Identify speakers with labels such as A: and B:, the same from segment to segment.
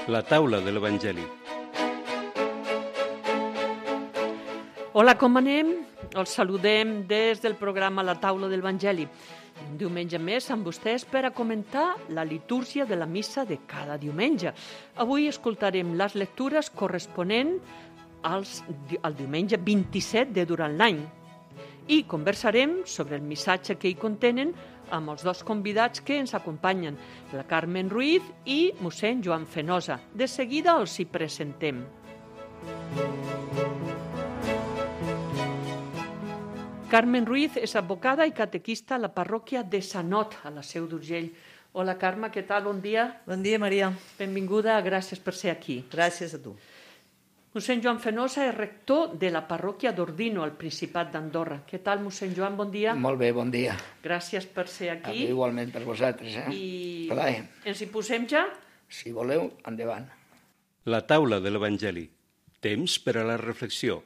A: La taula de l'Evangeli.
B: Hola, com anem? Els saludem des del programa La taula de l'Evangeli. Un diumenge més amb vostès per a comentar la litúrgia de la missa de cada diumenge. Avui escoltarem les lectures corresponents al diumenge 27 de durant l'any i conversarem sobre el missatge que hi contenen amb els dos convidats que ens acompanyen, la Carmen Ruiz i mossèn Joan Fenosa. De seguida els hi presentem. Carmen Ruiz és advocada i catequista a la parròquia de Sanot, a la Seu d'Urgell. Hola, Carme, què tal? Bon dia.
C: Bon dia, Maria.
B: Benvinguda, gràcies per ser aquí.
C: Gràcies a tu.
B: Mossèn Joan Fenosa és rector de la parròquia d'Ordino, al Principat d'Andorra. Què tal, mossèn Joan? Bon dia.
D: Molt bé, bon dia.
B: Gràcies per ser aquí.
D: Igualment per vosaltres.
B: I
D: Plaer.
B: ens hi posem ja?
D: Si voleu, endavant.
A: La taula de l'Evangeli. Temps per a la reflexió.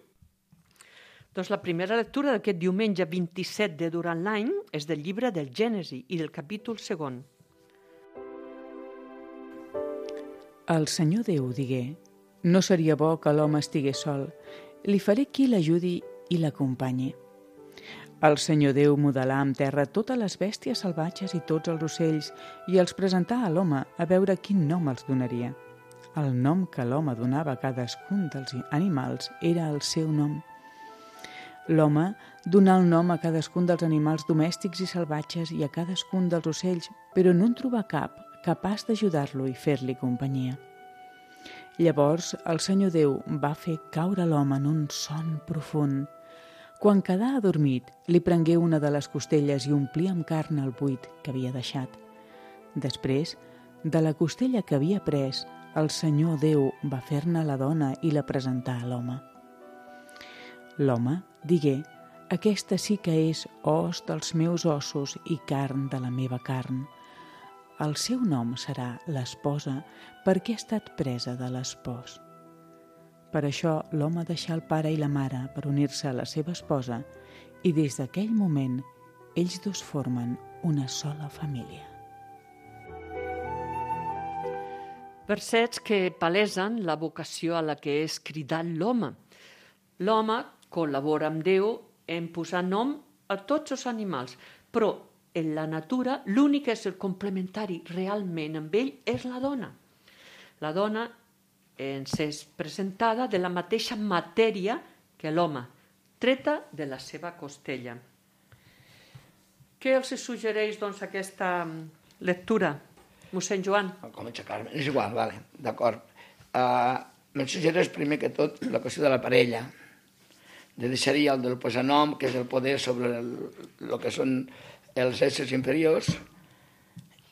B: Doncs la primera lectura d'aquest diumenge 27 de durant l'any és del llibre del Gènesi i del capítol 2.
E: El Senyor Déu digué: no seria bo que l'home estigués sol, li faré qui l'ajudi i l'acompanyi. El Senyor Déu modelà en terra totes les bèsties salvatges i tots els ocells i els presentà a l'home a veure quin nom els donaria. El nom que l'home donava a cadascun dels animals era el seu nom. L'home donà el nom a cadascun dels animals domèstics i salvatges i a cadascun dels ocells, però no en trobà cap capaç d'ajudar-lo i fer-li companyia. Llavors el Senyor Déu va fer caure l'home en un son profund. Quan quedà adormit, li prengué una de les costelles i omplí amb carn el buit que havia deixat. Després, de la costella que havia pres, el Senyor Déu va fer-ne la dona i la presentà a l'home. L'home digué: aquesta sí que és os dels meus ossos i carn de la meva carn. El seu nom serà l'esposa, perquè ha estat presa de l'espòs. Per això l'home deixà el pare i la mare per unir-se a la seva esposa i des d'aquell moment ells dos formen una sola família.
B: Versets que palesen la vocació a la que és cridat l'home. L'home col·labora amb Déu en posar nom a tots els animals, però en la natura l'únic que és el complementari realment amb ell és la dona. La dona ens és presentada de la mateixa matèria que l'home, treta de la seva costella. Què els suggereix, doncs, aquesta lectura, mossèn Joan?
D: Comença Carme. És igual, vale, d'acord. Me'n suggereix primer que tot la qüestió de la parella, de deixar-hi el del posar nom, que és el poder sobre el que són els éssers inferiors,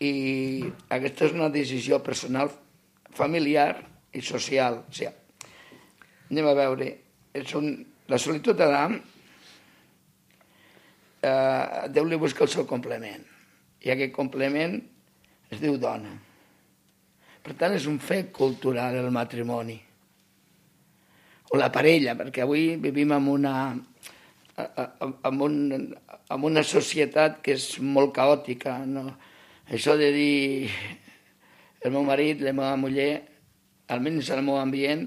D: i aquesta és una decisió personal, familiar i social. O sigui, anem a veure, la solitud d'Adam, Déu li busca el seu complement, i aquest complement es diu dona. Per tant, és un fet cultural el matrimoni, o la parella, perquè avui vivim amb una societat que és molt caòtica, no? Això de dir el meu marit, la meva muller, almenys al meu ambient,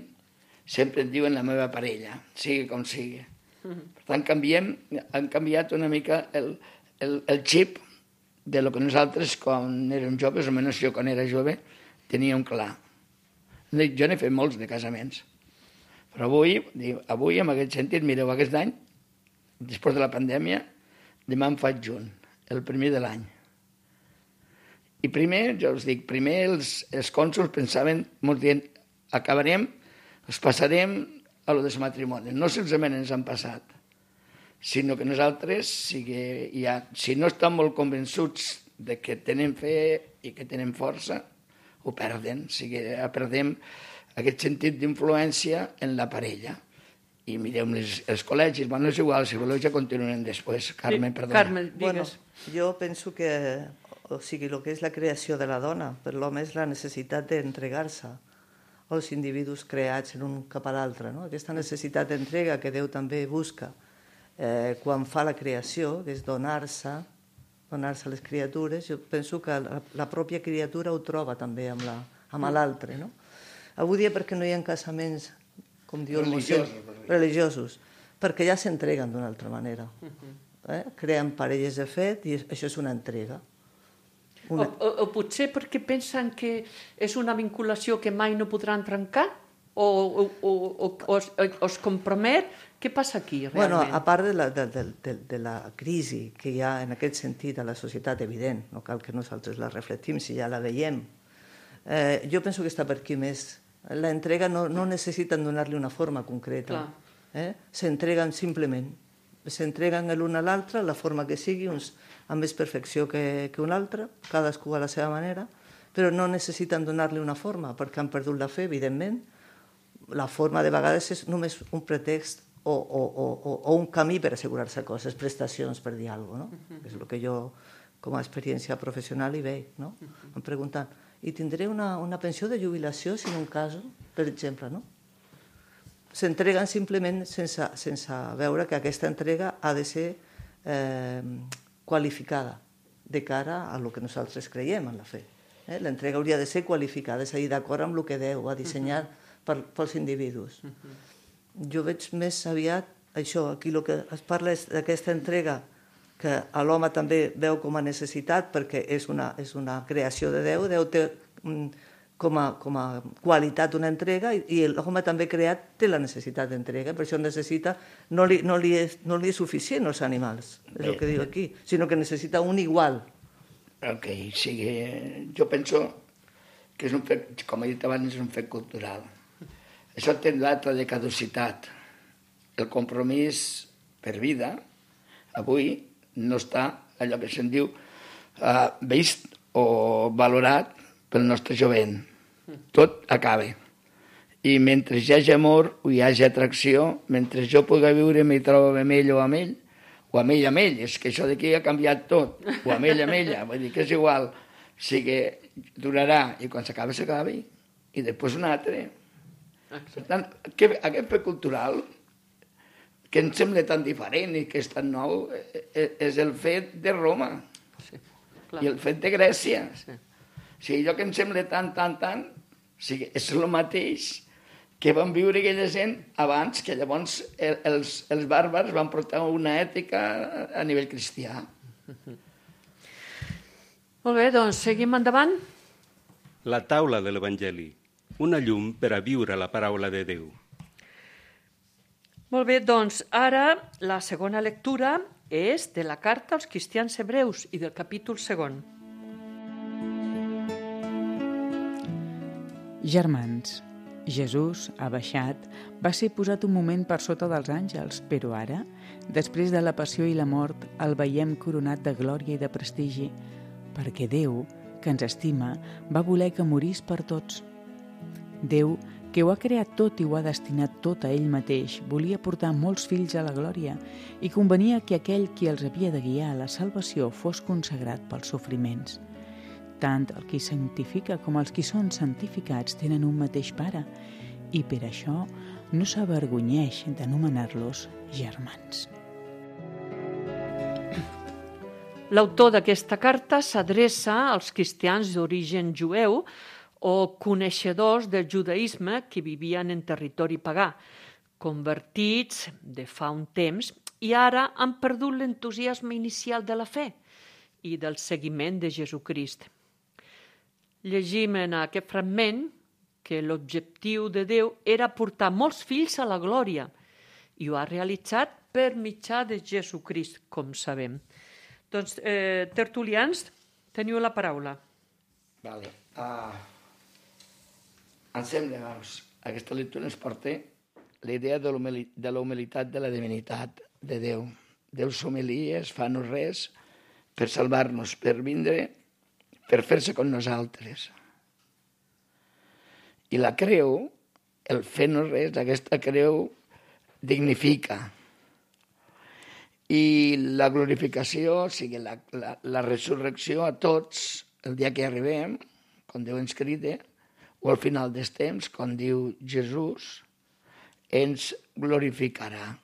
D: sempre et diuen la meva parella, sigui com sigui. Per tant, han canviat una mica el xip de lo que nosaltres, quan érem joves, almenys jo quan era jove, teníem clar. Jo n'he fet molts de casaments, però avui en aquest sentit, mireu, aquest any, després de la pandèmia, demà em faig junt, el primer de l'any. I primer, jo us dic, primer els cònsols pensaven, molts dient, acabarem, els passarem a lo dels matrimonis. No solament ens han passat, sinó que nosaltres, si no estan molt convençuts de que tenen fe i que tenen força, ho perden. O sigui, perdem aquest sentit d'influència en la parella. I mireu els col·legis, bueno, és igual, si voleu ja continuem després. Carme, perdona.
B: Carme, digues.
C: Bueno, jo penso que, o sigui, el que és la creació de la dona per l'home és la necessitat d'entregar-se als individus creats l'un cap a l'altre, no? Aquesta necessitat d'entrega que Déu també busca quan fa la creació, que és donar-se a les criatures. Jo penso que la pròpia criatura ho troba també amb l'altre, no? Avui dia perquè no hi ha casaments, com diu el mossèn, religiosos, perquè ja s'entreguen d'una altra manera. Creen parelles de fet i això és una entrega.
B: O potser perquè pensen que és una vinculació que mai no podran trencar? O es compromet? Què passa aquí, realment?
C: Bueno, a part de la crisi que hi ha en aquest sentit a la societat, evident, no cal que nosaltres la reflectim si ja la veiem, jo penso que està per aquí més. L'entrega no necessiten donar-li una forma concreta. S'entreguen simplement. S'entreguen l'un a l'altre, la forma que sigui, uns amb més perfecció que un altre, cadascú a la seva manera, però no necessiten donar-li una forma, perquè han perdut la fe, evidentment. La forma de vegades és només un pretext o un camí per assegurar-se coses, prestacions, per dir alguna cosa. És el que jo, com a experiència professional, hi veig. Em pregunten, i tindré una pensió de jubilació si en un cas, per exemple, no? S'entreguen simplement sense veure que aquesta entrega ha de ser qualificada de cara a lo que nosaltres creiem en la fe. L'entrega hauria de ser qualificada, és a dir, d'acord amb el que Déu ha dissenyat pels individus. Jo veig més aviat això, aquí el que es parla és d'aquesta entrega que l'home també veu com a necessitat perquè és una creació de Déu. Déu té com a qualitat una entrega i l'home també creat té la necessitat d'entrega, per això necessita, no li és suficient als animals, és el que diu aquí, sinó que necessita un igual.
D: Ok, sí, jo penso que és un fet, com he dit abans, és un fet cultural. Això té data de caducitat. El compromís per vida, avui, no està allò que se'n diu vist o valorat pel nostre jovent. Tot acaba. I mentre hi hagi amor o hi hagi atracció, mentre jo pugui viure m'hi trobo amb ell o amb ell, o amb ell, és que això d'aquí ha canviat tot, o amb ella, vull dir que és igual, o sigui, durarà, i quan s'acaba, s'acaba, i després un altre. Per tant, aquest fet cultural, que ens sembla tan diferent i que és tan nou, és el fet de Roma i el fet de Grècia. O sigui, allò que ens sembla tant, o sigui, és el mateix que van viure aquella gent abans, que llavors els bàrbars van portar una ètica a nivell cristià.
B: Molt bé, doncs seguim endavant.
A: La taula de l'Evangeli, una llum per a viure la paraula de Déu.
B: Molt bé, doncs ara la segona lectura és de la carta als cristians hebreus i del capítol 2.
E: Germans, Jesús ha baixat, va ser posat un moment per sota dels àngels, però ara, després de la passió i la mort, el veiem coronat de glòria i de prestigi, perquè Déu, que ens estima, va voler que morís per tots. Déu, que ho ha creat tot i ho ha destinat tot a ell mateix, volia portar molts fills a la glòria i convenia que aquell qui els havia de guiar a la salvació fos consagrat pels sofriments. Tant el qui santifica com els qui són santificats tenen un mateix pare i per això no s'avergonyeix d'anomenar-los germans.
B: L'autor d'aquesta carta s'adreça als cristians d'origen jueu o coneixedors del judaïsme que vivien en territori pagà, convertits de fa un temps i ara han perdut l'entusiasme inicial de la fe i del seguiment de Jesucrist. Llegim en aquest fragment que l'objectiu de Déu era portar molts fills a la glòria i ho ha realitzat per mitjà de Jesucrist, com sabem. Doncs, tertulians, teniu la paraula.
D: Vale. Em sembla, doncs, aquesta lectura ens porta la idea de la humilitat de la divinitat de Déu. Déu s'humilia, es fa no res per salvar-nos, per vindre, per fer-se con nosaltres. I la creu, el fer no res, aquesta creu dignifica. I la glorificació, o sigui, la resurrecció a tots, el dia que arribem, com Déu ens crida, o al final dels temps, com diu Jesús, ens glorificarà.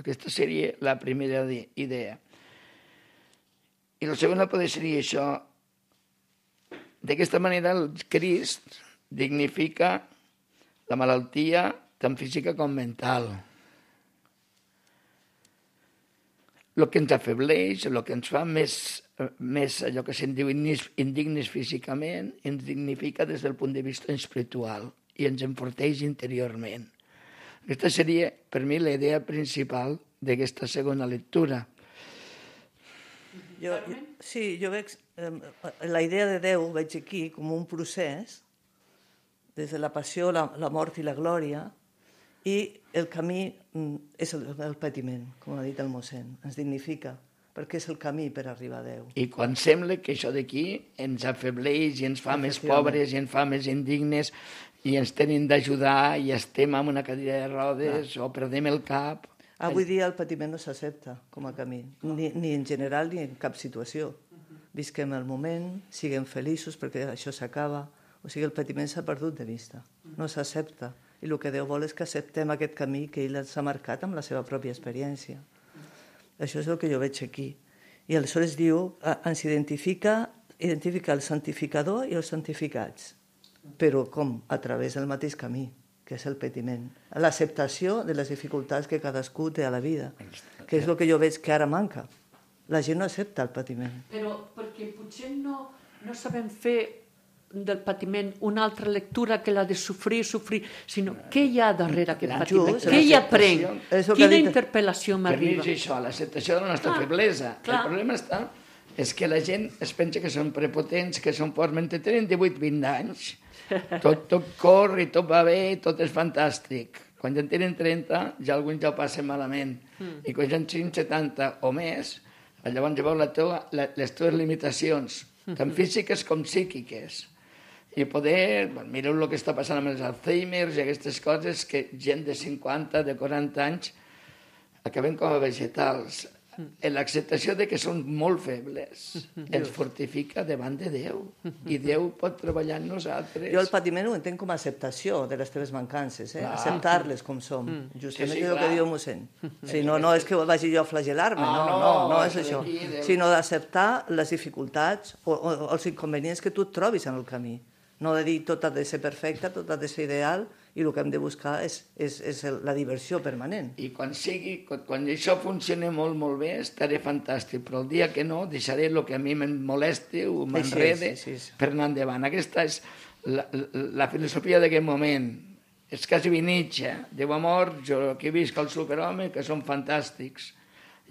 D: Aquesta seria la primera idea. I la segona podria ser això. D'aquesta manera el Crist dignifica la malaltia tant física com mental. El que ens afebleix, el que ens fa més allò que se'n diu indignes físicament, ens dignifica des del punt de vista espiritual i ens enforteix interiorment. Aquesta seria, per mi, la idea principal d'aquesta segona lectura.
C: Jo veig la idea de Déu, veig aquí com un procés, des de la passió, la mort i la glòria, i el camí és el patiment, com ha dit el mossèn, ens dignifica, perquè és el camí per arribar a Déu.
D: I quan sembla que això d'aquí ens afebleix i ens fa més pobres i ens fa més indignes i ens tenen d'ajudar i estem en una cadira de rodes o perdem el cap...
C: Avui dia el patiment no s'accepta com a camí, ni en general ni en cap situació. Visquem el moment, siguem feliços perquè això s'acaba, o sigui, el patiment s'ha perdut de vista, no s'accepta. I el que Déu vol és que acceptem aquest camí que ell ens ha marcat amb la seva pròpia experiència. Això és el que jo veig aquí. I aleshores diu, ens identifica el santificador i els santificats. Però com? A través del mateix camí, que és el patiment. L'acceptació de les dificultats que cadascú té a la vida, que és el que jo veig que ara manca. La gent no accepta el patiment.
B: Però perquè potser no sabem fer del patiment una altra lectura que la de sofrir, sinó què hi ha darrere aquest patiment, què hi aprenc, quina interpel·lació m'arriba.
D: Per mi és això, l'acceptació de la nostra feblesa. El problema és que la gent es pensa que són prepotents, que són forts, mentre tenen 18-20 anys, tot corre, tot va bé, tot és fantàstic. Quan ja en tenen 30, ja alguns ja ho passen malament. I quan ja en tenen 70 o més, llavors ja veus les teves limitacions, tant físiques com psíquiques. I poder, mireu el que està passant amb els Alzheimer's i aquestes coses, que gent de 50, de 40 anys, acaben com a vegetals. L'acceptació de que són molt febles ens fortifica davant de Déu. I Déu pot treballar en nosaltres.
C: Jo el patiment ho entenc com a acceptació de les teves mancances, acceptar-les com som. Justament és el que diu el mossèn. No és que vagi jo a flagel·lar-me, no és això. Sinó d'acceptar les dificultats o els inconvenients que tu et trobis en el camí. No de dir tot ha de ser perfecte, tot ha de ser ideal, i el que hem de buscar és la diversió permanent.
D: I quan això funcioni molt, molt bé, estaré fantàstic, però el dia que no, deixaré el que a mi em molesti o m'enrede per anar endavant. Aquesta és la filosofia d'aquest moment. És quasi Nietzsche. Diu, amor, jo aquí visc el superhome, que són fantàstics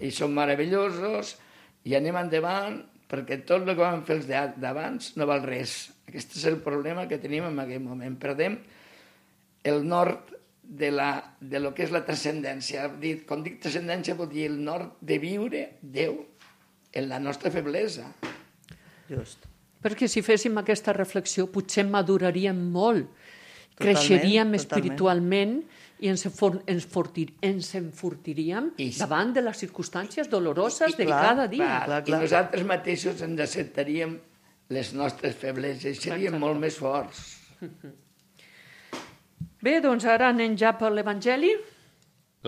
D: i són meravellosos, i anem endavant, perquè tot el que vam fer els d'abans no val res. Aquest és el problema que tenim en aquest moment. Perdem el nord de lo que és la transcendència. Quan dic transcendència vol dir el nord de viure Déu en la nostra feblesa.
C: Just.
B: Perquè si féssim aquesta reflexió potser maduraríem molt, creixeríem espiritualment i ens enfortiríem davant de les circumstàncies doloroses de cada dia.
D: I nosaltres mateixos ens acceptaríem les nostres febleses i seríem molt més forts.
B: Bé, doncs ara anem ja per l'Evangeli.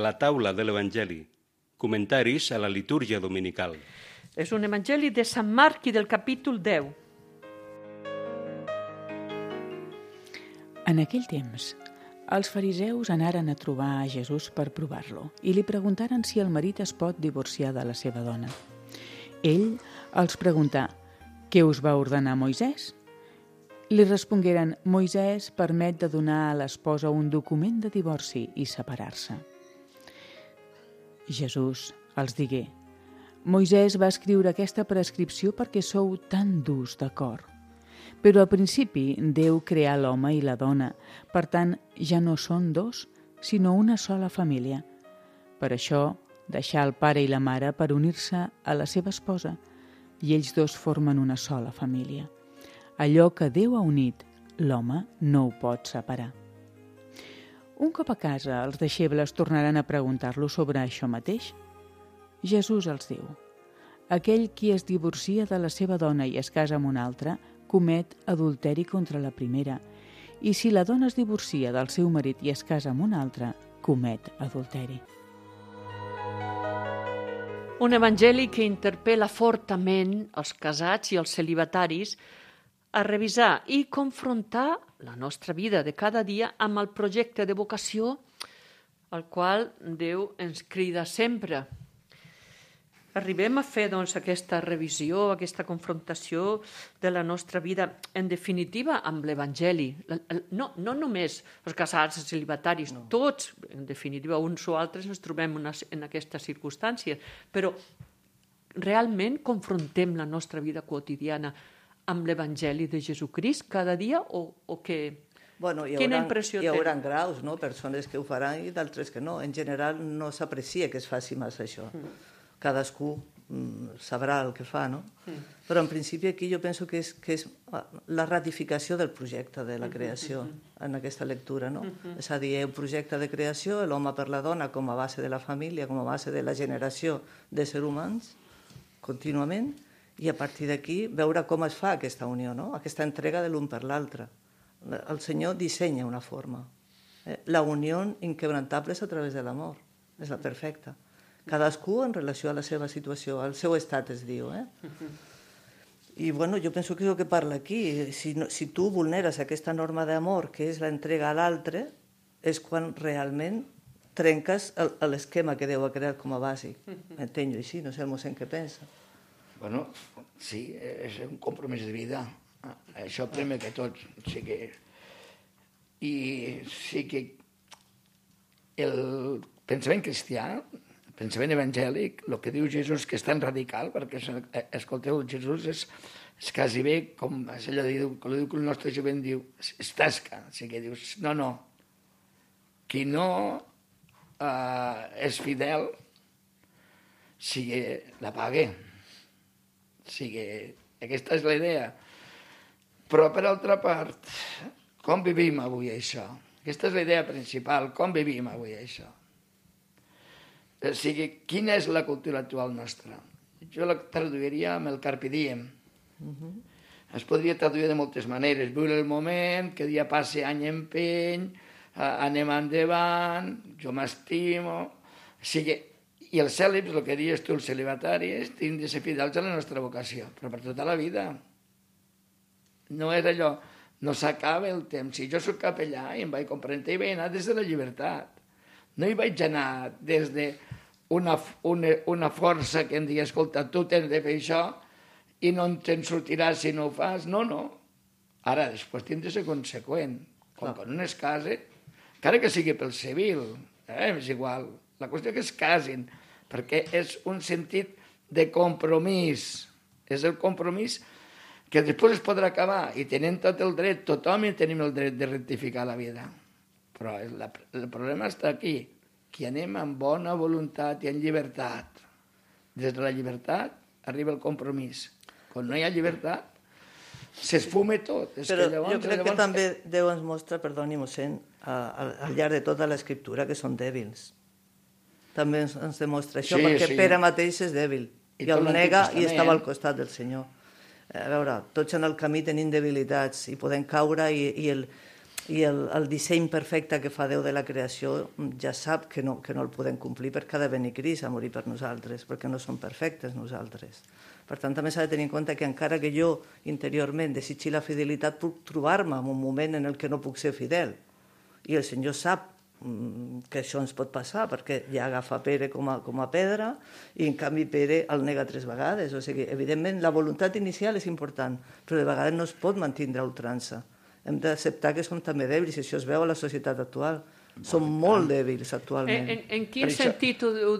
A: La taula de l'Evangeli. Comentaris a la litúrgia dominical.
B: És un Evangeli de Sant Marc i del capítol 10.
E: En aquell temps, els fariseus anaren a trobar a Jesús per provar-lo i li preguntaren si el marit es pot divorciar de la seva dona. Ell els preguntà: «Què us va ordenar Moisès?» Li respongueren: «Moisès permet de donar a l'esposa un document de divorci i separar-se». Jesús els digué: «Moisès va escriure aquesta prescripció perquè sou tan durs de cor. Però al principi Déu creà l'home i la dona, per tant ja no són dos, sinó una sola família. Per això deixà el pare i la mare per unir-se a la seva esposa, i ells dos formen una sola família. Allò que Déu ha unit, l'home no ho pot separar». Un cop a casa, els deixebles tornaran a preguntar-lo sobre això mateix. Jesús els diu: «Aquell qui es divorcia de la seva dona i es casa amb una altra, comet adulteri contra la primera, i si la dona es divorcia del seu marit i es casa amb una altra, comet adulteri».
B: Un evangeli que interpel·la fortament els casats i els celibataris a revisar i confrontar la nostra vida de cada dia amb el projecte de vocació al qual Déu ens crida sempre. Arribem a fer aquesta revisió, aquesta confrontació de la nostra vida, en definitiva, amb l'Evangeli. No només els casats, els celibataris, tots, en definitiva, uns o altres ens trobem en aquestes circumstàncies, però realment confrontem la nostra vida quotidiana amb l'Evangeli de Jesucrist cada dia o què?
C: Bueno,
B: Quina impressió
C: hi haurà
B: té?
C: graus, no? Persones que ho faran i d'altres que no. En general no s'aprecia que es faci massa això. Cadascú sabrà el que fa, no? Però en principi aquí jo penso que és la ratificació del projecte de la creació en aquesta lectura, no? És a dir, un projecte de creació, l'home per la dona com a base de la família, com a base de la generació d'éssers humans, contínuament, i a partir d'aquí veure com es fa aquesta unió, no? Aquesta entrega de l'un per l'altre. El Senyor dissenya una forma. La unió inquebrantable és a través de l'amor. És la perfecta. Cadascú en relació a la seva situació, al seu estat es diu. I bueno, jo penso que és el que parla aquí. Si tu vulneres aquesta norma d'amor, que és l'entrega a l'altre, és quan realment trenques l'esquema que Déu ha creat com a bàsic. Entenc-ho així, no sé el mossèn què pensa.
D: Bueno, sí, és un compromís de vida. Això primer que tot. I sí que el pensament cristià, el pensament evangèlic, el que diu Jesús que és tan radical, perquè escolteu, Jesús és quasi bé com allò que el nostre jovent diu, es tasca. O sigui, dius, no, qui no és fidel, la pague. O sigui, aquesta és la idea. Però, per altra part, com vivim avui això? Aquesta és la idea principal, com vivim avui això? O sigui, quina és la cultura actual nostra? Jo la traduiria amb el carpe diem. Es podria traduir de moltes maneres. Viure el moment, que dia passe any empeny, anem endavant, jo m'estimo... O sigui, i els cèlibs, el que dius tu, els celibataris, tenen de ser fidels a la nostra vocació, però per tota la vida. No és allò, no s'acaba el temps. Si jo soc capellà i em vaig comprendre, hi vaig anar des de la llibertat. No hi vaig anar des d'una força que em digui, escolta, tu tens de fer això i no te'n sortiràs si no ho fas. No. Ara, després tens de ser conseqüent. Quan un es casa, encara que sigui pel civil, és igual. La qüestió que es casin, perquè és un sentit de compromís. És el compromís que després es podrà acabar i tenen tot el dret, tothom tenim el dret de rectificar la vida. Però el problema està aquí, que anem amb bona voluntat i en llibertat. Des de la llibertat arriba el compromís. Quan no hi ha llibertat, s'esfuma tot.
C: Però jo crec que també Déu ens mostra, perdoni, mossèn, al llarg de tota l'escriptura, que són dèbils. També ens demostra això, perquè Pere mateix és dèbil, i el nega i estava al costat del Senyor. A veure, tots en el camí tenim debilitats i podem caure i el disseny perfecte que fa Déu de la creació ja sap que no el podem complir perquè ha de venir Crist a morir per nosaltres, perquè no som perfectes nosaltres. Per tant, també s'ha de tenir en compte que encara que jo interiorment desitgi la fidelitat, puc trobar-me en un moment en el que no puc ser fidel. I el Senyor sap que això ens pot passar, perquè ja agafa Pere com a pedra i en canvi Pere el nega 3 vegades. O sigui, evidentment la voluntat inicial és important, però de vegades no es pot mantindre a ultrança. Hem d'acceptar que som també dèbils, i això es veu a la societat actual. Som molt dèbils actualment.
B: En quin sentit ho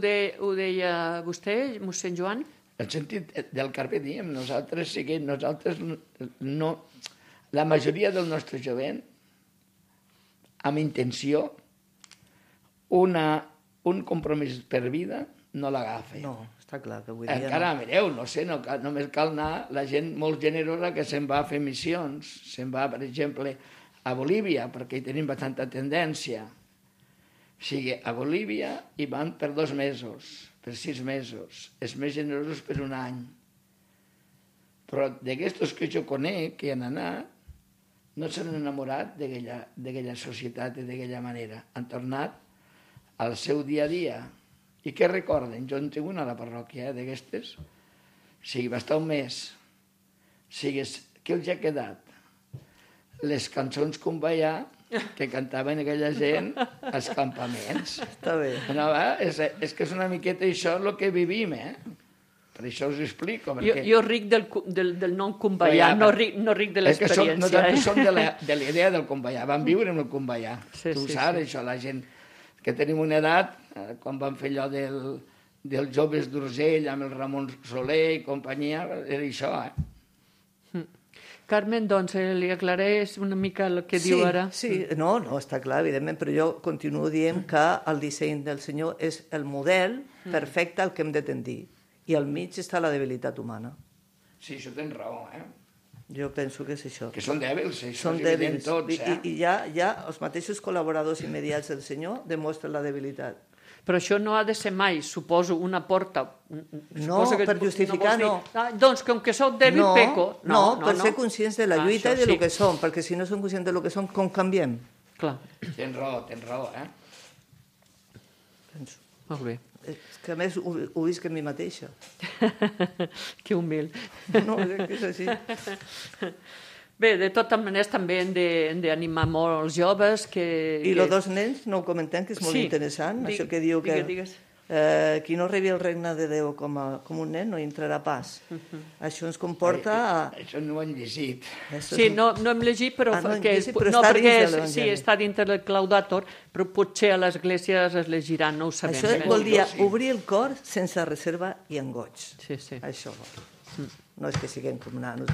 B: deia vostè, mossèn Joan?
D: El sentit del carpe diem. Nosaltres no... La majoria del nostre jovent, amb intenció, un compromís per vida no l'agafa.
C: No, està clar que avui dia...
D: Encara, mireu, no sé, només cal anar la gent molt generosa que se'n va a fer missions. Se'n va, per exemple, a Bolívia, perquè hi tenim bastanta tendència. O sigui, a Bolívia hi van per 2 mesos, per 6 mesos. Els més generosos per 1 any. Però d'aquestos que jo conec, que han anat, no s'han enamorat d'aquella societat i d'aquella manera. Han tornat al seu dia a dia. I què recorden? Jo en tinc una a la parròquia, d'aquestes. O sigui, va estar 1 mes. O sigui, què els ha quedat? les cançons cumballà que cantaven aquella gent als campaments.
C: Està bé.
D: No, és que és una miqueta això el que vivim, Per això us ho explico. Perquè...
B: Jo ric del nom cumballà, no ric de l'experiència.
D: No tant som de la idea del cumballà, vam viure amb el cumballà.
B: Sí,
D: Tu
B: sí,
D: saps, això, la gent que tenim una edat, quan vam fer allò dels joves d'Urgell amb el Ramon Soler i companyia, era això,
B: Carmen, doncs, li aclareix una mica el que diu ara?
C: Sí, no, està clar, evidentment, però jo continuo dient que el disseny del Senyor és el model perfecte al que hem de tendir. I al mig està la debilitat humana.
D: Sí, això tens raó,
C: Jo penso que és això.
D: Que són dèbils, això
C: Són
D: és evident
C: dèbils.
D: tots,
C: I ja els mateixos col·laboradors immediats del Senyor demostren la debilitat.
B: Però això no ha de ser mai, suposo, una porta...
C: No, per justificar no.
B: Doncs, com que sóc dèbil, peco.
C: No, per ser conscients de la lluita i de lo
B: sí.
C: que som, perquè si no som conscients de lo que som, com canviem?
B: Clar,
D: Tens raó,
C: Penso.
B: molt bé.
C: És que a més ho visc en mi mateixa.
B: Que humil.
C: No, és així.
B: Bé, de totes maneres també hem d'animar molt els joves que...
C: I els dos nens, no ho comentem, que és molt interessant, això que diu que qui no rebi el regne de Déu com un nen no hi entrarà pas. Això ens comporta...
D: Això no ho han llegit.
B: Sí, no hem llegit, però...
C: no hem
B: perquè
C: llegit, però està dins de l'Evangeli.
B: Sí, està dintre del Claudator, però potser a l'església es llegiran, no ho sabem.
C: Això vol dir obrir el cor sense reserva i engoig.
B: Sí, sí.
C: Això. No és que siguem com nanos.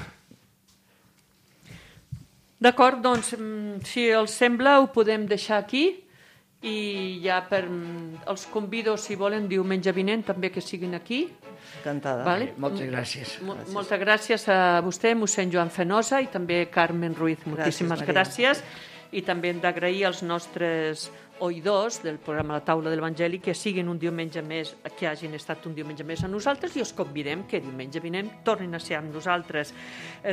B: D'acord, doncs, si els sembla, ho podem deixar aquí i ja els convido, si volen, diumenge vinent també que siguin aquí.
C: Encantada.
B: Vale?
D: Moltes gràcies.
B: Moltes gràcies a vostè, mossèn Joan Fenosa, i també Carmen Ruiz. Moltíssimes gràcies. I també hem d'agrair als nostres oïdors del programa La Taula de l'Evangeli que siguin un diumenge més, que hagin estat un diumenge més a nosaltres, i els convidem que diumenge vinent tornin a ser amb nosaltres.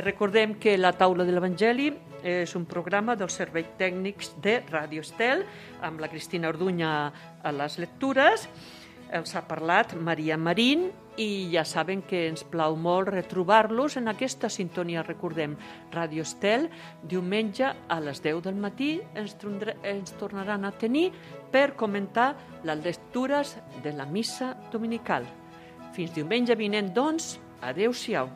B: Recordem que La Taula de l'Evangeli és un programa dels serveis tècnics de Ràdio Estel, amb la Cristina Orduña a les lectures. Els ha parlat Maria Marín, i ja saben que ens plau molt retrobar-los en aquesta sintonia. Recordem, Ràdio Estel, diumenge a les 10 del matí ens tornaran a tenir per comentar les lectures de la missa dominical. Fins diumenge vinent, doncs, adéu-siau.